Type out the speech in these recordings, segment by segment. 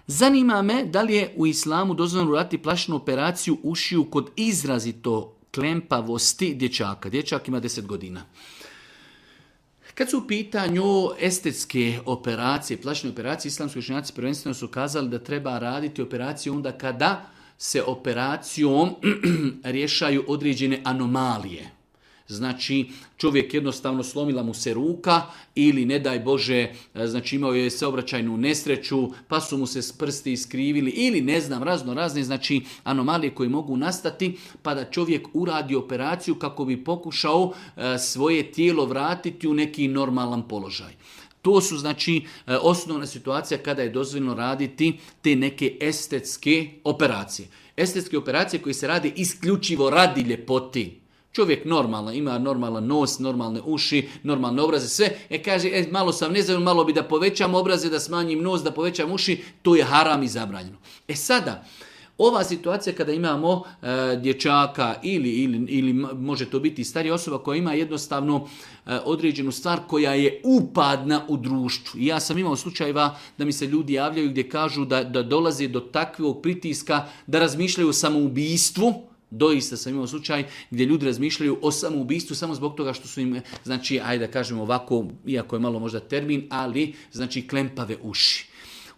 Zanima me da li je u islamu dozvoljeno uraditi plastičnu operaciju ušiju kod izrazito klempavosti dječaka. Dječak ima 10 godina. Kad su u pitanju estetske operacije, plastične operacije, islamski učenjaci prvenstveno su kazali da treba raditi operaciju onda kada se operacijom rješaju određene anomalije. Znači, čovjek jednostavno slomila mu se ruka ili, ne daj Bože, znači imao je saobraćajnu nesreću, pa su mu se prsti iskrivili ili ne znam, razne znači anomalije koje mogu nastati, pa da čovjek uradi operaciju kako bi pokušao svoje tijelo vratiti u neki normalan položaj. To su znači osnovna situacija kada je dozvoljeno raditi te neke estetske operacije. Estetske operacije koje se rade isključivo radi ljepoti. Čovjek normalno, ima normalan nos, normalne uši, normalne obraze, sve. Kaže, malo sam nezadovoljan, malo bi da povećam obraze, da smanjim nos, da povećam uši, to je haram i zabranjeno. Sada, ova situacija kada imamo dječaka ili može to biti starija osoba koja ima jednostavno određenu stvar koja je upadna u društvu. I ja sam imao slučajeva da mi se ljudi javljaju gdje kažu da dolaze do takvog pritiska da razmišljaju o samoubistvu. Doista sam imao slučaj gdje ljudi razmišljaju o samoubistvu samo zbog toga što su im, znači, ajde da kažemo ovako, iako je malo možda termin, ali znači klempave uši.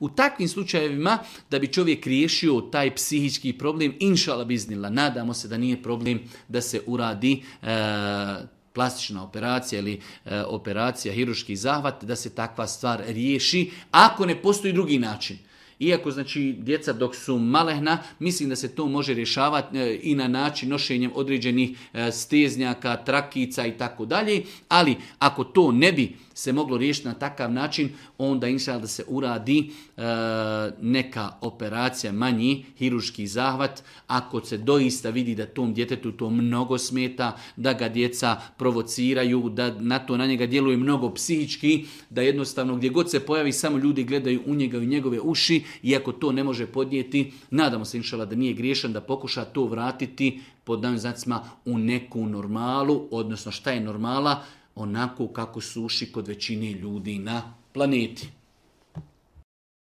U takvim slučajevima da bi čovjek riješio taj psihički problem, inšala biznila, nadamo se da nije problem da se uradi plastična operacija ili operacija, hirurški zahvat, da se takva stvar riješi, ako ne postoji drugi način. Iako, znači, djeca dok su malehna, mislim da se to može rješavati i na način nošenjem određenih steznjaka, trakica i tako dalje, ali ako to ne bi se moglo riješiti na takav način, onda inšallah da se uradi neka operacija, manji hirurški zahvat, ako se doista vidi da tom djetetu to mnogo smeta, da ga djeca provociraju, da na njega djeluje mnogo psihički, da jednostavno gdje god se pojavi samo ljudi gledaju u njega i njegove uši, iako to ne može podnijeti, nadamo se inšallah da nije griješan, da pokuša to vratiti pod novim znacima u neku normalu, odnosno šta je normala, onako kako suši kod većine ljudi na planeti.